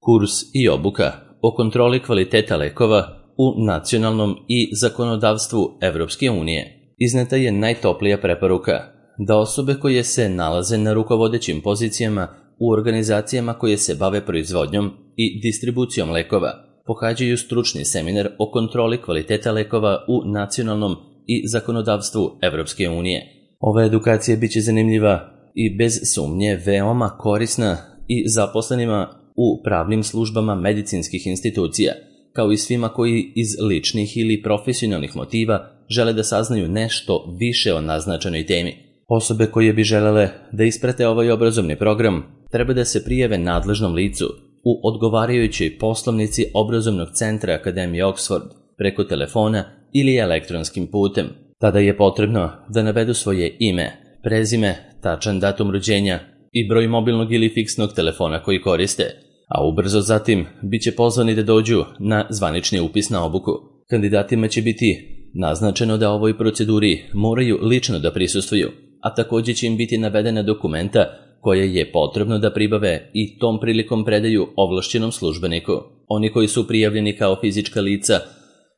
Kurs i obuka o kontroli kvaliteta lekova u nacionalnom i zakonodavstvu Evropske unije. Izneta je najtoplija preporuka da osobe koje se nalaze na rukovodećim pozicijama u organizacijama koje se bave proizvodnjom i distribucijom lekova pohađaju stručni seminar o kontroli kvaliteta lekova u nacionalnom i zakonodavstvu Evropske unije. Ova edukacija biće zanimljiva i bez sumnje veoma korisna i zaposlenima u pravnim službama medicinskih institucija, kao i svima koji iz ličnih ili profesionalnih motiva žele da saznaju nešto više o naznačenoj temi. Osobe koje bi želele da isprate ovaj obrazovni program treba da se prijave nadležnom licu u odgovarajućoj poslovnici obrazovnog centra Akademije Oxford preko telefona ili elektronskim putem. Tada je potrebno da navedu svoje ime, prezime, tačan datum rođenja i broj mobilnog ili fiksnog telefona koji koriste, a ubrzo zatim bit će pozvani da dođu na zvanični upis na obuku. Kandidatima će biti naznačeno da ovoj proceduri moraju lično da prisustvuju, a također će im biti navedena dokumenta koje je potrebno da pribave i tom prilikom predaju ovlašćenom službeniku. Oni koji su prijavljeni kao fizička lica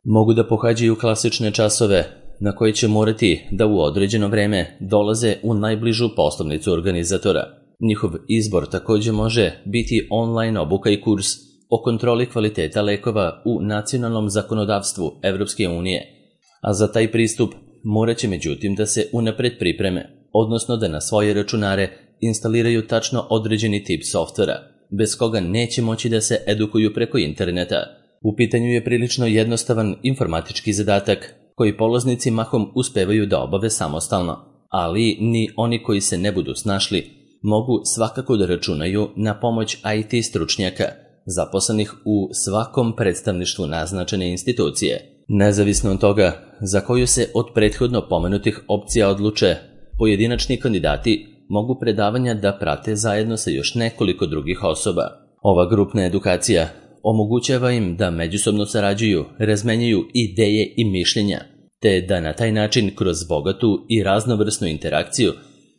mogu da pohađaju klasične časove na koje će morati da u određeno vreme dolaze u najbližu poslovnicu organizatora. Njihov izbor također može biti online obuka i kurs o kontroli kvaliteta lekova u nacionalnom zakonodavstvu Evropske unije, a za taj pristup morat će međutim da se unapred pripreme, odnosno da na svoje računare instaliraju tačno određeni tip softvera, bez koga neće moći da se edukuju preko interneta. U pitanju je prilično jednostavan informatički zadatak koji polaznici mahom uspevaju da obave samostalno, ali ni oni koji se ne budu snašli mogu svakako da računaju na pomoć IT stručnjaka, zaposlenih u svakom predstavništvu naznačene institucije. Nezavisno od toga za koju se od prethodno pomenutih opcija odluče, pojedinačni kandidati mogu predavanja da prate zajedno sa još nekoliko drugih osoba. Ova grupna edukacija omogućava im da međusobno sarađuju, razmenjuju ideje i mišljenja, te da na taj način kroz bogatu i raznovrsnu interakciju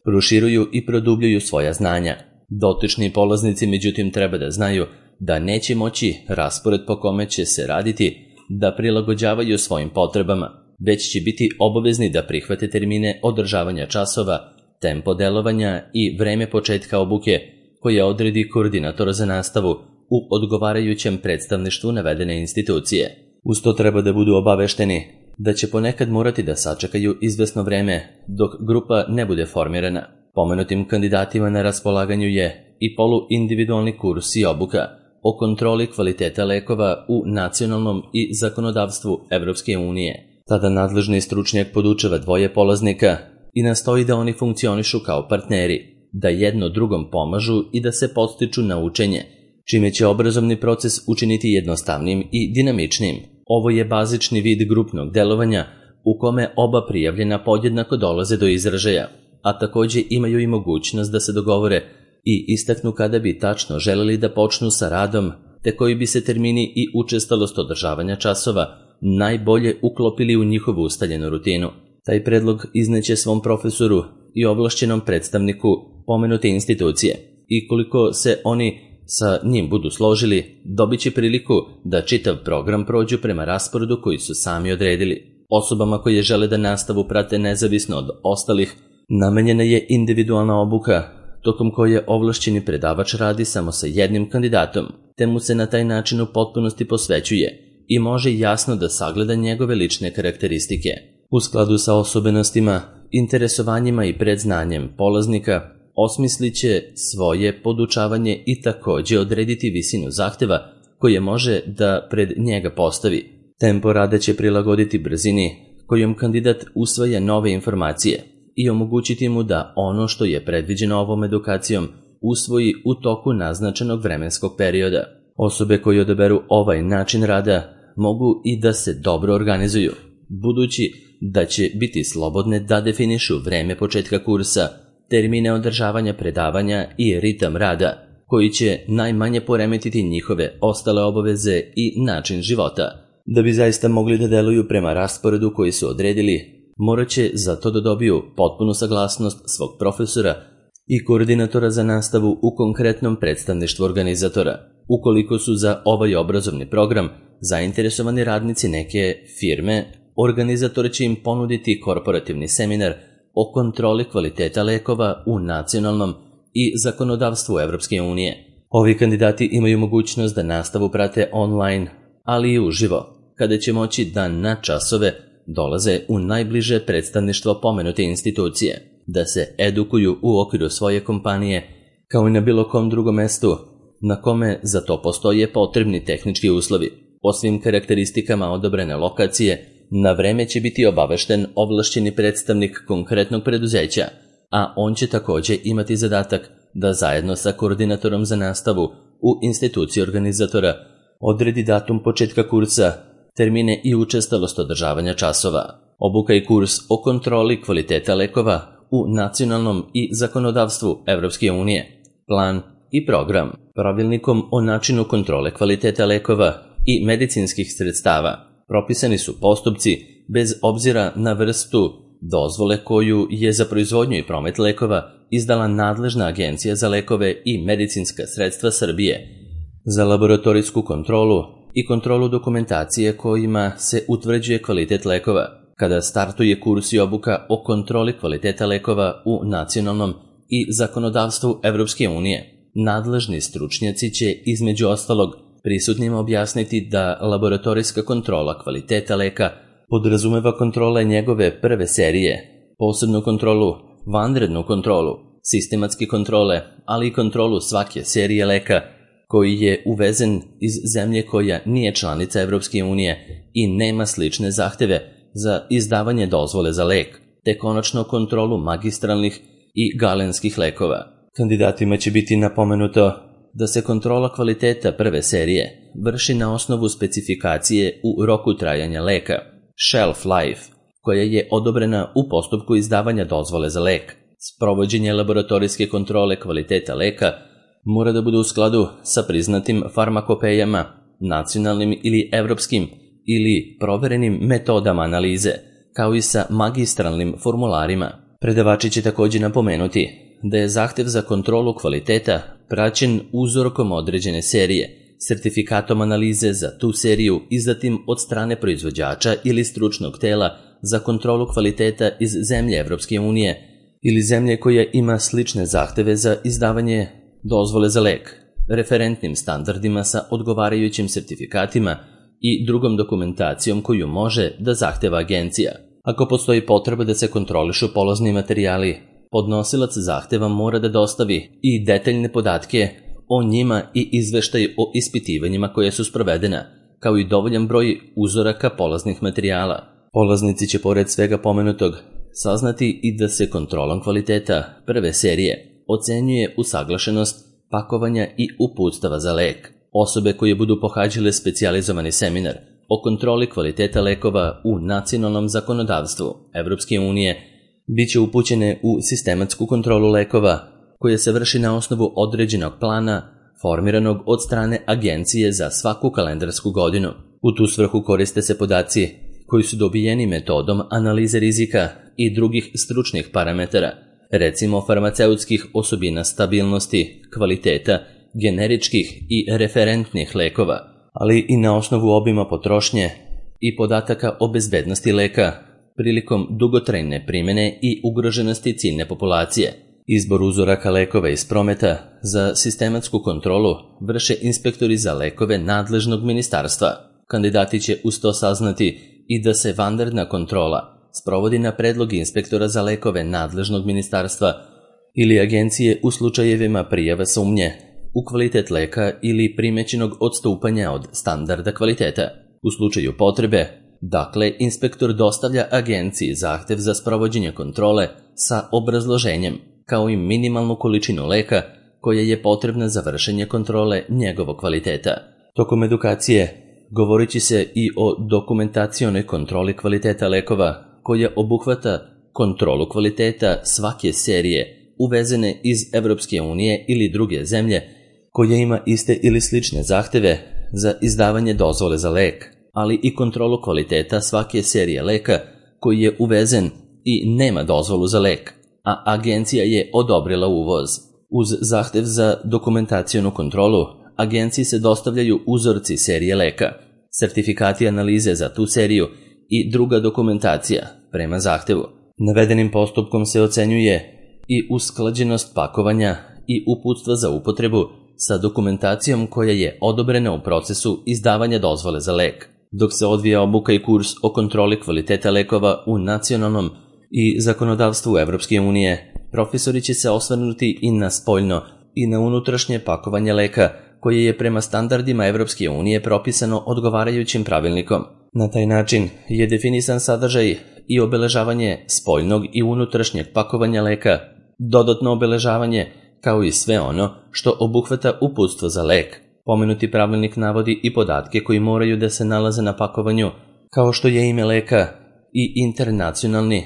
proširuju i produbljuju svoja znanja. Dotični polaznici međutim treba da znaju da neće moći raspored po kome će se raditi da prilagođavaju svojim potrebama, već će biti obavezni da prihvate termine održavanja časova, tempo delovanja i vreme početka obuke koje odredi koordinator za nastavu u odgovarajućem predstavništvu navedene institucije. Uz to treba da budu obavešteni da će ponekad morati da sačekaju izvesno vreme dok grupa ne bude formirana. Pomenutim kandidatima na raspolaganju je i poluindividualni kurs i obuka o kontroli kvaliteta lekova u nacionalnom i zakonodavstvu Evropske unije. Tada nadležni stručnjak podučava dvoje polaznika i nastoji da oni funkcionišu kao partneri, da jedno drugom pomažu i da se podstiču na učenje, čime će obrazovni proces učiniti jednostavnim i dinamičnim. Ovo je bazični vid grupnog delovanja u kome oba prijavljena podjednako dolaze do izražaja, a također imaju i mogućnost da se dogovore i istaknu kada bi tačno želeli da počnu sa radom, te koji bi se termini i učestalost održavanja časova najbolje uklopili u njihovu ustaljenu rutinu. Taj predlog izneće svom profesoru i ovlašćenom predstavniku pomenute institucije i koliko se oni sa njim budu složili, dobit će priliku da čitav program prođu prema rasporedu koji su sami odredili. Osobama koje žele da nastavu prate nezavisno od ostalih, namenjena je individualna obuka, tokom koje ovlašćeni predavač radi samo sa jednim kandidatom, te mu se na taj način u potpunosti posvećuje i može jasno da sagleda njegove lične karakteristike. U skladu sa osobenostima, interesovanjima i predznanjem polaznika, osmislit će svoje podučavanje i također odrediti visinu zahteva koje može da pred njega postavi. Tempo rada će prilagoditi brzini kojom kandidat usvaja nove informacije i omogućiti mu da ono što je predviđeno ovom edukacijom usvoji u toku naznačenog vremenskog perioda. Osobe koje odaberu ovaj način rada mogu i da se dobro organizuju, budući da će biti slobodne da definišu vreme početka kursa, termine održavanja predavanja i ritam rada, koji će najmanje poremetiti njihove ostale obaveze i način života. Da bi zaista mogli da deluju prema rasporedu koji su odredili, morat će za to da dobiju potpunu saglasnost svog profesora i koordinatora za nastavu u konkretnom predstavništvu organizatora. ukoliko su za ovaj obrazovni program zainteresovani radnici neke firme, organizator će im ponuditi korporativni seminar o kontroli kvaliteta lekova u nacionalnom i zakonodavstvu Evropske unije. Ovi kandidati imaju mogućnost da nastavu prate online, ali i uživo, kada će moći da na časove dolaze u najbliže predstavništvo pomenute institucije, da se edukuju u okviru svoje kompanije, kao i na bilo kom drugom mestu na kome za to postoje potrebni tehnički uslovi. O svim karakteristikama odobrene lokacije na vreme će biti obavešten ovlašćeni predstavnik konkretnog preduzeća, a on će također imati zadatak da zajedno sa koordinatorom za nastavu u instituciji organizatora odredi datum početka kursa, termine i učestalost održavanja časova. Obuka i kurs o kontroli kvaliteta lekova u nacionalnom i zakonodavstvu Evropske unije, plan i program, pravilnikom o načinu kontrole kvaliteta lekova i medicinskih sredstava. Propisani su postupci bez obzira na vrstu dozvole koju je za proizvodnju i promet lekova izdala nadležna Agencija za lekove i medicinska sredstva Srbije, za laboratorijsku kontrolu i kontrolu dokumentacije kojima se utvrđuje kvalitet lekova. Kada startuje kurs i obuka o kontroli kvaliteta lekova u nacionalnom i zakonodavstvu Evropske unije, nadležni stručnjaci će između ostalog prisutnima objasniti da laboratorijska kontrola kvaliteta leka podrazumeva kontrole njegove prve serije, posebnu kontrolu, vanrednu kontrolu, sistematske kontrole, ali i kontrolu svake serije leka koji je uvezen iz zemlje koja nije članica Evropske unije i nema slične zahteve za izdavanje dozvole za lek, te konačno kontrolu magistralnih i galenskih lekova. Kandidatima će biti napomenuto da se kontrola kvaliteta prve serije vrši na osnovu specifikacije u roku trajanja leka, shelf life, koja je odobrena u postupku izdavanja dozvole za lek. Sprovođenje laboratorijske kontrole kvaliteta leka mora da bude u skladu sa priznatim farmakopejama, nacionalnim ili evropskim ili proverenim metodama analize, kao i sa magistralnim formularima. Predavači će također napomenuti da je zahtev za kontrolu kvaliteta praćen uzorkom određene serije, sertifikatom analize za tu seriju izdatim od strane proizvođača ili stručnog tela za kontrolu kvaliteta iz zemlje Evropske unije ili zemlje koja ima slične zahteve za izdavanje dozvole za lek, referentnim standardima sa odgovarajućim sertifikatima i drugom dokumentacijom koju može da zahteva agencija. Ako postoji potreba da se kontrolišu polazni materijali, podnosilac zahteva mora da dostavi i detaljne podatke o njima i izveštaj o ispitivanjima koje su sprovedena, kao i dovoljan broj uzoraka polaznih materijala. Polaznici će pored svega pomenutog saznati i da se kontrolom kvaliteta prve serije ocenjuje usaglašenost pakovanja i uputstava za lek. Osobe koje budu pohađale specijalizovani seminar o kontroli kvaliteta lekova u nacionalnom zakonodavstvu Evropske unije biće upućene u sistematsku kontrolu lekova koja se vrši na osnovu određenog plana formiranog od strane agencije za svaku kalendarsku godinu. U tu svrhu koriste se podaci koji su dobijeni metodom analize rizika i drugih stručnih parametara, recimo farmaceutskih osobina stabilnosti, kvaliteta, generičkih i referentnih lekova, ali i na osnovu obima potrošnje i podataka o bezbednosti leka prilikom dugotrajne primjene i ugroženosti ciljne populacije. Izbor uzoraka lekova iz prometa za sistematsku kontrolu vrše inspektori za lekove nadležnog ministarstva. Kandidati će uz to saznati i da se vanredna kontrola sprovodi na predlog inspektora za lekove nadležnog ministarstva ili agencije u slučajevima prijava sumnje u kvalitet leka ili primećenog odstupanja od standarda kvaliteta. U slučaju potrebe, dakle, inspektor dostavlja agenciji zahtev za sprovođenje kontrole sa obrazloženjem, kao i minimalnu količinu leka koja je potrebna za vršenje kontrole njegovog kvaliteta. Tokom edukacije govorit će se i o dokumentacionoj kontroli kvaliteta lekova koja obuhvata kontrolu kvaliteta svake serije uvezene iz Evropske unije ili druge zemlje koja ima iste ili slične zahteve za izdavanje dozvole za lek, ali i kontrolu kvaliteta svake serije leka koji je uvezen i nema dozvolu za lek, a agencija je odobrila uvoz. Uz zahtev za dokumentacionu kontrolu, agenciji se dostavljaju uzorci serije leka, sertifikati analize za tu seriju i druga dokumentacija prema zahtevu. Navedenim postupkom se ocenjuje i usklađenost pakovanja i uputstva za upotrebu sa dokumentacijom koja je odobrena u procesu izdavanja dozvole za lek. Dok se odvija obuka i kurs o kontroli kvaliteta lekova u nacionalnom i zakonodavstvu Evropske unije, profesori će se osvrnuti i na spoljno i na unutrašnje pakovanje leka, koje je prema standardima Evropske unije propisano odgovarajućim pravilnikom. Na taj način je definisan sadržaj i obeležavanje spoljnog i unutrašnjeg pakovanja leka, dodatno obeležavanje, kao i sve ono što obuhvata uputstvo za lek. Pomenuti pravilnik navodi i podatke koji moraju da se nalaze na pakovanju, kao što je ime leka i internacionalni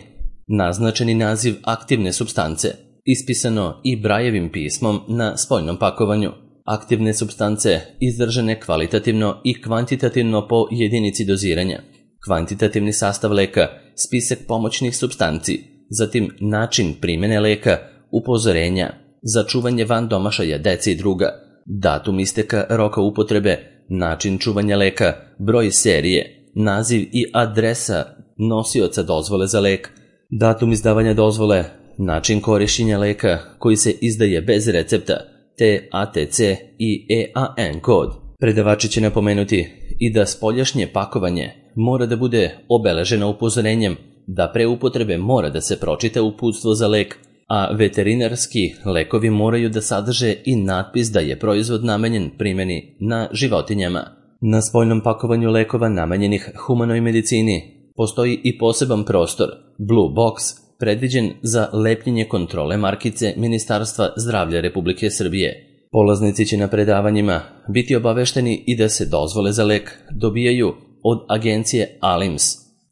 naznačeni naziv aktivne supstance, ispisano i Brajevim pismom na spoljnom pakovanju. Aktivne supstance izdržane kvalitativno i kvantitativno po jedinici doziranja, kvantitativni sastav leka, spisak pomoćnih supstanci, zatim način primene leka, upozorenja, za čuvanje van domašaja dece i druga, datum isteka roka upotrebe, način čuvanja leka, broj serije, naziv i adresa nosioca dozvole za lek, datum izdavanja dozvole, način korišćenja leka koji se izdaje bez recepta, te ATC i EAN kod. Predavači će napomenuti i da spoljašnje pakovanje mora da bude obeleženo upozorenjem da pre upotrebe mora da se pročita uputstvo za lek, a veterinarski lekovi moraju da sadrže i natpis da je proizvod namenjen primjeni na životinjama. Na spoljnom pakovanju lekova namenjenih humanoj medicini postoji i poseban prostor, Blue Box, predviđen za lepljenje kontrole markice Ministarstva zdravlja Republike Srbije. Polaznici će na predavanjima biti obavešteni i da se dozvole za lek dobijaju od agencije ALIMS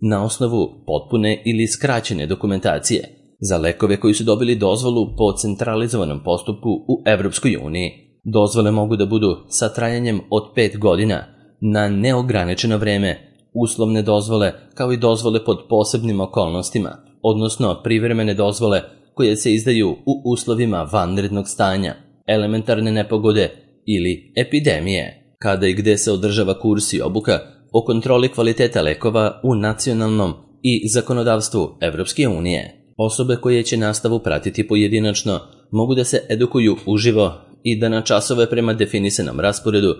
na osnovu potpune ili skraćene dokumentacije za lekove koji su dobili dozvolu po centralizovanom postupku u Evropskoj uniji. Dozvole mogu da budu sa trajanjem od 5 godina na neograničeno vreme, uslovne dozvole kao i dozvole pod posebnim okolnostima, odnosno privremene dozvole koje se izdaju u uslovima vanrednog stanja, elementarne nepogode ili epidemije, kada i gde se održava kurs i obuka o kontroli kvaliteta lekova u nacionalnom i zakonodavstvu Evropske unije. Osobe koje će nastavu pratiti pojedinačno mogu da se edukuju uživo i da na časove prema definisanom rasporedu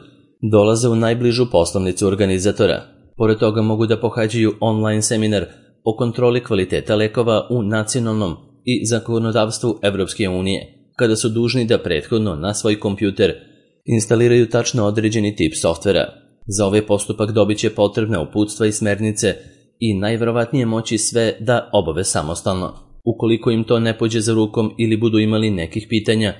dolaze u najbližu poslovnicu organizatora. Pored toga mogu da pohađaju online seminar o kontroli kvaliteta lekova u nacionalnom i zakonodavstvu Evropske unije, kada su dužni da prethodno na svoj kompjuter instaliraju tačno određeni tip softvera. Za ovaj postupak dobit će potrebna uputstva i smernice i najverovatnije moći sve da obave samostalno. Ukoliko im to ne pođe za rukom ili budu imali nekih pitanja,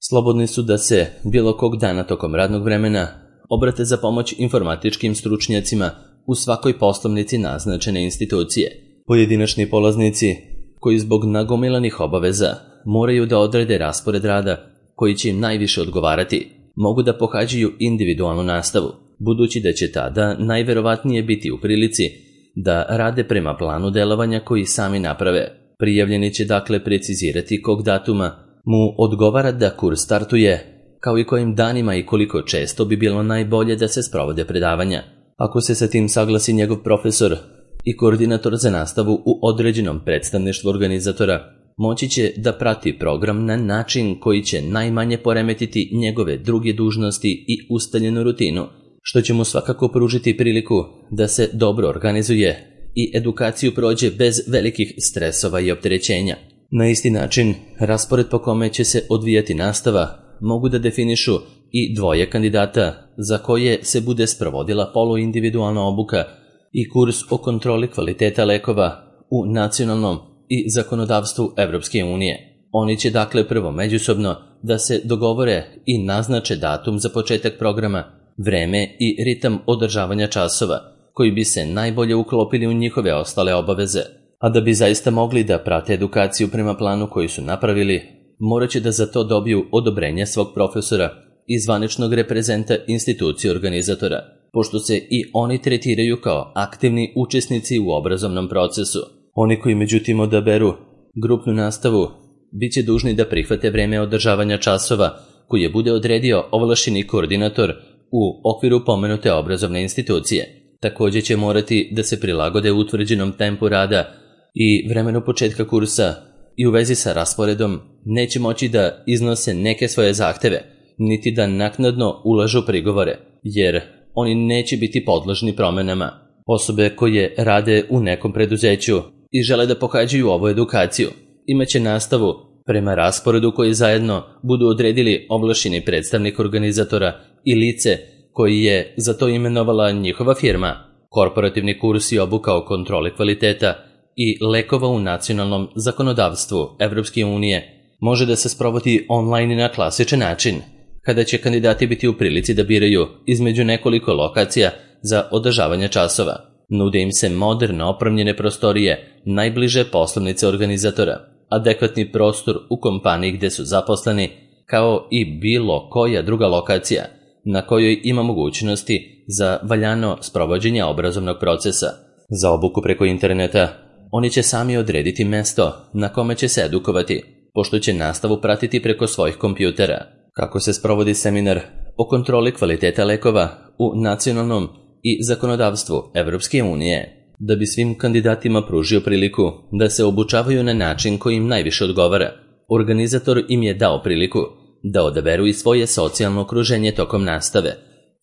slobodni su da se bilo kog dana tokom radnog vremena obrate za pomoć informatičkim stručnjacima u svakoj poslovnici naznačene institucije. Pojedinačni polaznici koji zbog nagomilanih obaveza moraju da odrede raspored rada koji će im najviše odgovarati, mogu da pohađaju individualnu nastavu, budući da će tada najverovatnije biti u prilici da rade prema planu delovanja koji sami naprave. Prijavljeni će dakle precizirati kog datuma mu odgovara da kurs startuje, kao i kojim danima i koliko često bi bilo najbolje da se sprovode predavanja. Ako se sa tim saglasi njegov profesor i koordinator za nastavu u određenom predstavništvu organizatora, moći će da prati program na način koji će najmanje poremetiti njegove druge dužnosti i ustaljenu rutinu, što će mu svakako pružiti priliku da se dobro organizuje i edukaciju prođe bez velikih stresova i opterećenja. Na isti način, raspored po kome će se odvijati nastava mogu da definišu i dvoje kandidata za koje se bude sprovodila poluindividualna obuka i kurs o kontroli kvaliteta lekova u nacionalnom i zakonodavstvu Evropske unije. Oni će dakle prvo međusobno da se dogovore i naznače datum za početak programa, vreme i ritam održavanja časova, koji bi se najbolje uklopili u njihove ostale obaveze. A da bi zaista mogli da prate edukaciju prema planu koji su napravili, morat će da za to dobiju odobrenje svog profesora i zvaničnog reprezenta institucije organizatora, pošto se i oni tretiraju kao aktivni učesnici u obrazovnom procesu. Oni koji međutim odaberu grupnu nastavu bit će dužni da prihvate vreme održavanja časova koje bude odredio ovlašćeni koordinator u okviru pomenute obrazovne institucije. Također će morati da se prilagode utvrđenom tempu rada i vremenu početka kursa i u vezi sa rasporedom neće moći da iznose neke svoje zahteve, niti da naknadno ulažu prigovore, jer oni neće biti podložni promenama. Osobe koje rade u nekom preduzeću i žele da pohađaju ovu edukaciju imaće nastavu prema rasporedu koji zajedno budu odredili ovlašćeni predstavnik organizatora i lice koji je za to imenovala njihova firma. Korporativni kurs i obuka o kontroli kvaliteta i lekova u nacionalnom zakonodavstvu Evropske unije može da se sprovodi online na klasičan način, kada će kandidati biti u prilici da biraju između nekoliko lokacija za održavanje časova. Nude im se moderno opremljene prostorije najbliže poslovnice organizatora, adekvatni prostor u kompaniji gde su zaposleni, kao i bilo koja druga lokacija na kojoj ima mogućnosti za valjano sprovođenje obrazovnog procesa. Za obuku preko interneta oni će sami odrediti mesto na kome će se edukovati, pošto će nastavu pratiti preko svojih kompjutera. Kako se sprovodi seminar o kontroli kvaliteta lekova u nacionalnom i zakonodavstvu Evropske unije, da bi svim kandidatima pružio priliku da se obučavaju na način koji im najviše odgovara. Organizator im je dao priliku da odaberu i svoje socijalno okruženje tokom nastave.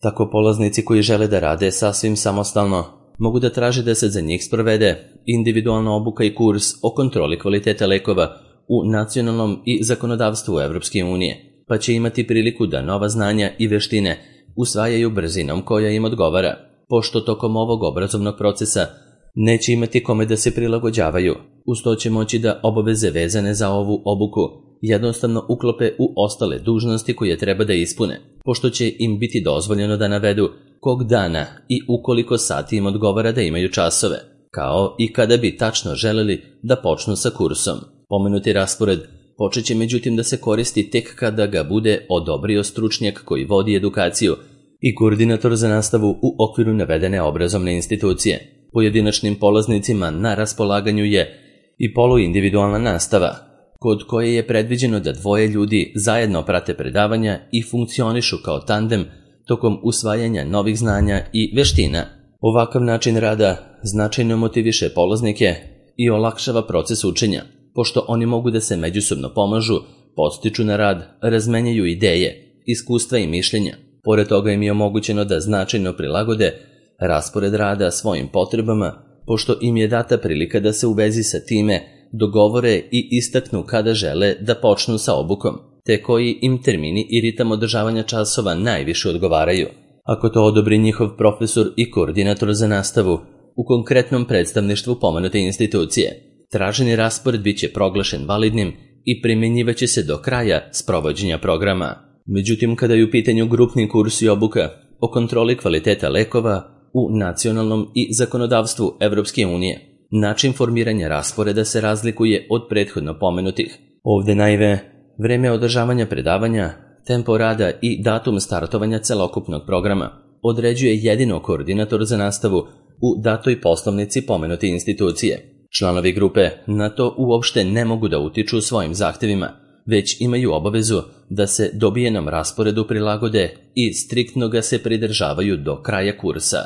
Tako polaznici koji žele da rade sasvim samostalno mogu da traže da se za njih sprovede individualna obuka i kurs o kontroli kvaliteta lekova u nacionalnom i zakonodavstvu Evropske unije, pa će imati priliku da nova znanja i veštine usvajaju brzinom koja im odgovara, pošto tokom ovog obrazovnog procesa neće imati kome da se prilagođavaju. Uz to će moći da obaveze vezane za ovu obuku jednostavno uklope u ostale dužnosti koje treba da ispune, pošto će im biti dozvoljeno da navedu kog dana i u koliko sati im odgovara da imaju časove, kao i kada bi tačno želeli da počnu sa kursom. Pomenuti raspored počeće međutim da se koristi tek kada ga bude odobrio stručnjak koji vodi edukaciju i koordinator za nastavu u okviru navedene obrazovne institucije. Pojedinačnim polaznicima na raspolaganju je i poluindividualna nastava, kod koje je predviđeno da dvoje ljudi zajedno prate predavanja i funkcionišu kao tandem tokom usvajanja novih znanja i veština. Ovakav način rada značajno motiviše polaznike i olakšava proces učenja, pošto oni mogu da se međusobno pomažu, podstiču na rad, razmenjaju ideje, iskustva i mišljenja. Pored toga im je omogućeno da značajno prilagode raspored rada svojim potrebama, pošto im je data prilika da se u vezi sa time dogovore i istaknu kada žele da počnu sa obukom, te koji im termini i ritam održavanja časova najviše odgovaraju. Ako to odobri njihov profesor i koordinator za nastavu u konkretnom predstavništvu pomenute institucije, traženi raspored bit će proglašen validnim i primjenjivaće se do kraja sprovođenja programa. Međutim, kada je u pitanju grupni kurs i obuka o kontroli kvaliteta lekova u nacionalnom i zakonodavstvu Evropske unije, način formiranja rasporeda se razlikuje od prethodno pomenutih. Ovde naime, vreme održavanja predavanja, tempo rada i datum startovanja celokupnog programa određuje jedino koordinator za nastavu u datoj poslovnici pomenute institucije. Članovi grupe na to uopšte ne mogu da utiču svojim zahtevima, već imaju obavezu da se dobijenom rasporedu prilagode i striktno ga se pridržavaju do kraja kursa.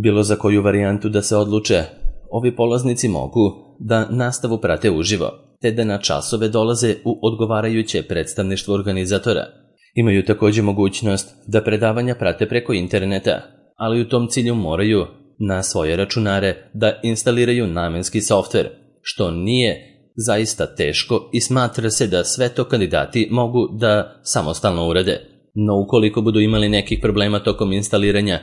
Bilo za koju varijantu da se odluče, ovi polaznici mogu da nastavu prate uživo, te da na časove dolaze u odgovarajuće predstavništvo organizatora. Imaju također mogućnost da predavanja prate preko interneta, ali u tom cilju moraju na svoje računare da instaliraju namenski softver, što nije zaista teško i smatra se da sve to kandidati mogu da samostalno urade. No ukoliko budu imali nekih problema tokom instaliranja,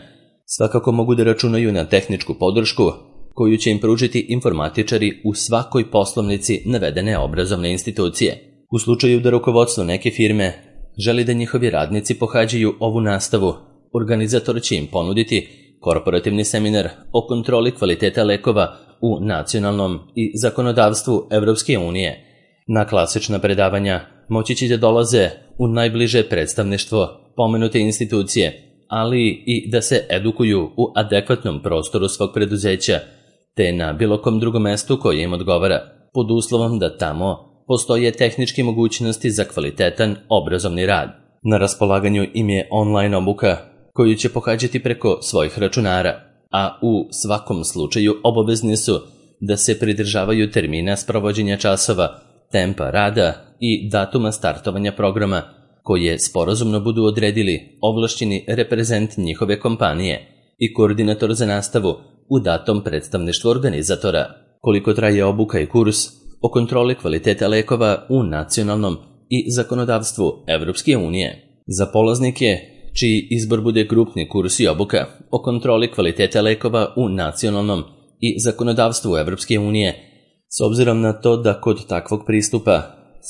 svakako mogu da računaju na tehničku podršku koju će im pružiti informatičari u svakoj poslovnici navedene obrazovne institucije. U slučaju da rukovodstvo neke firme želi da njihovi radnici pohađaju ovu nastavu, organizator će im ponuditi korporativni seminar o kontroli kvaliteta lekova u nacionalnom i zakonodavstvu Evropske unije. Na klasična predavanja moći će da dolaze u najbliže predstavništvo pomenute institucije, ali i da se edukuju u adekvatnom prostoru svog preduzeća, te na bilo kom drugom mestu koje im odgovara, pod uslovom da tamo postoje tehničke mogućnosti za kvalitetan obrazovni rad. Na raspolaganju im je online obuka koju će pohađati preko svojih računara, a u svakom slučaju obavezni su da se pridržavaju termina sprovođenja časova, tempa rada i datuma startovanja programa koje sporazumno budu odredili ovlašćeni reprezent njihove kompanije i koordinator za nastavu u datom predstavništvu organizatora. Koliko traje obuka i kurs o kontroli kvaliteta lekova u nacionalnom i zakonodavstvu Evropske unije. Za polaznike čiji izbor bude grupni kurs i obuka o kontroli kvaliteta lekova u nacionalnom i zakonodavstvu Evropske unije, s obzirom na to da kod takvog pristupa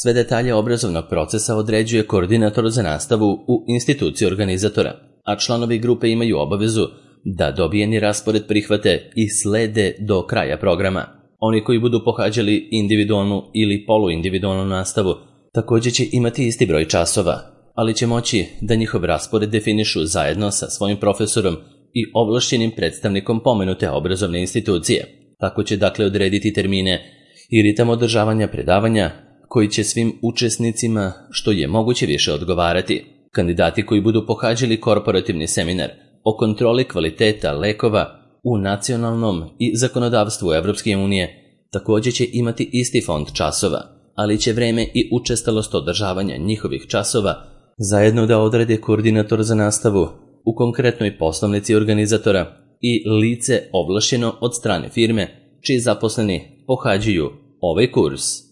sve detalje obrazovnog procesa određuje koordinator za nastavu u instituciji organizatora, a članovi grupe imaju obavezu da dobijeni raspored prihvate i slede do kraja programa. Oni koji budu pohađali individualnu ili poluindividualnu nastavu također će imati isti broj časova, ali će moći da njihov raspored definišu zajedno sa svojim profesorom i ovlašćenim predstavnikom pomenute obrazovne institucije. Tako će dakle odrediti termine i ritam održavanja predavanja koji će svim učesnicima što je moguće više odgovarati. Kandidati koji budu pohađali korporativni seminar o kontroli kvaliteta lekova u nacionalnom i zakonodavstvu Evropske unije također će imati isti fond časova, ali će vreme i učestalost održavanja njihovih časova zajedno da odrede koordinator za nastavu u konkretnoj poslovnici organizatora i lice ovlašćeno od strane firme čiji zaposleni pohađaju ovaj kurs.